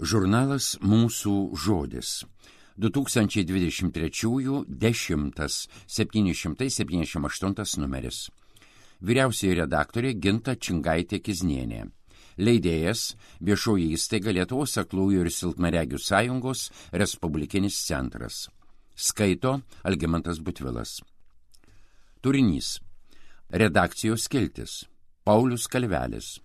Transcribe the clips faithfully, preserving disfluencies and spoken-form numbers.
Žurnalas Mūsų žodis. du tūkstančiai dvidešimt trečiųjų dešimtas septyni šimtai septyniasdešimt aštuntas numeris. Vyriausioji redaktorė Ginta Čingaitė-Kiznienė. Leidėjas Viešoji įstaiga Lietuvos aklųjų ir silpnaregių sąjungos Respublikinis centras. Skaito Algimantas Butvilas. Turinys. Redakcijos skiltis. Paulius Kalvelis.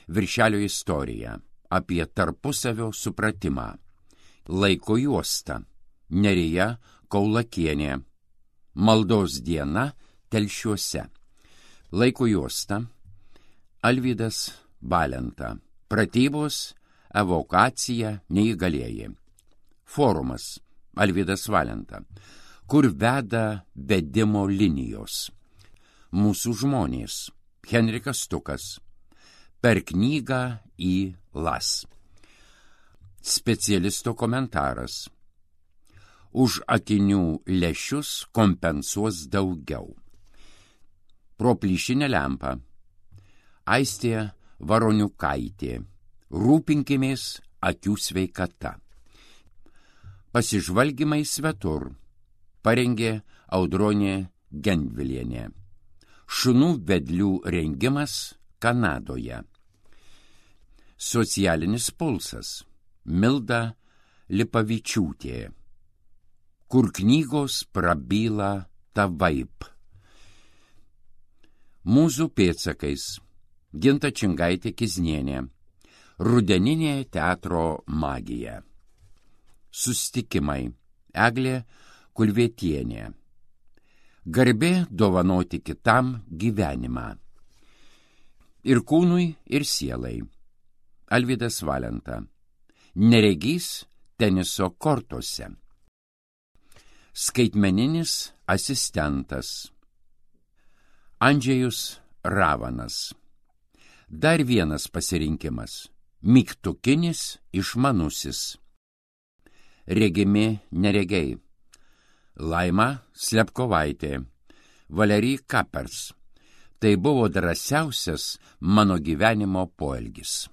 Viršelio istorija. Apie tarpusavio supratimą. Laiko juosta. Nerija Kaulakienė. Maldos diena Telšiuose. Laiko juosta. Alvydas Valenta. Pratybos, evokacija, neįgalieji. Forumas. Alvydas Valenta. Kur veda vedimo linijos. Mūsų žmonės. Henrikas Stukas. Per knygą į las. Specialisto komentaras. Už akinių lęšius kompensuos daugiau. Pro plyšinę lempą. Aistė Varoniukaitė. Rūpinkimės akių sveikata. Pasižvalgymai svetur. Parengė Audronė Gendvilienė. Šunų vedlių rengimas Kanadoje. Socialinis pulsas. Milda Lipavičiūtė. Kur knygos prabyla tavaip. Mūzų pėdsakais. Ginta Čingaitė-Kiznienė. Rudeninė teatro magija. Sustikimai. Eglė Kulvietienė. Garbė dovanoti kitam gyvenimą. Ir kūnui, ir sielai. Alvydas Valenta. Neregys teniso kortose. Skaitmeninis asistentas. Andžejus Ravanas. Dar vienas pasirinkimas. Mygtukinis išmanusis. Regimi neregiai. Laima Slepkovaitė. Valery Kapers. Tai buvo drąsiausias mano gyvenimo poelgis.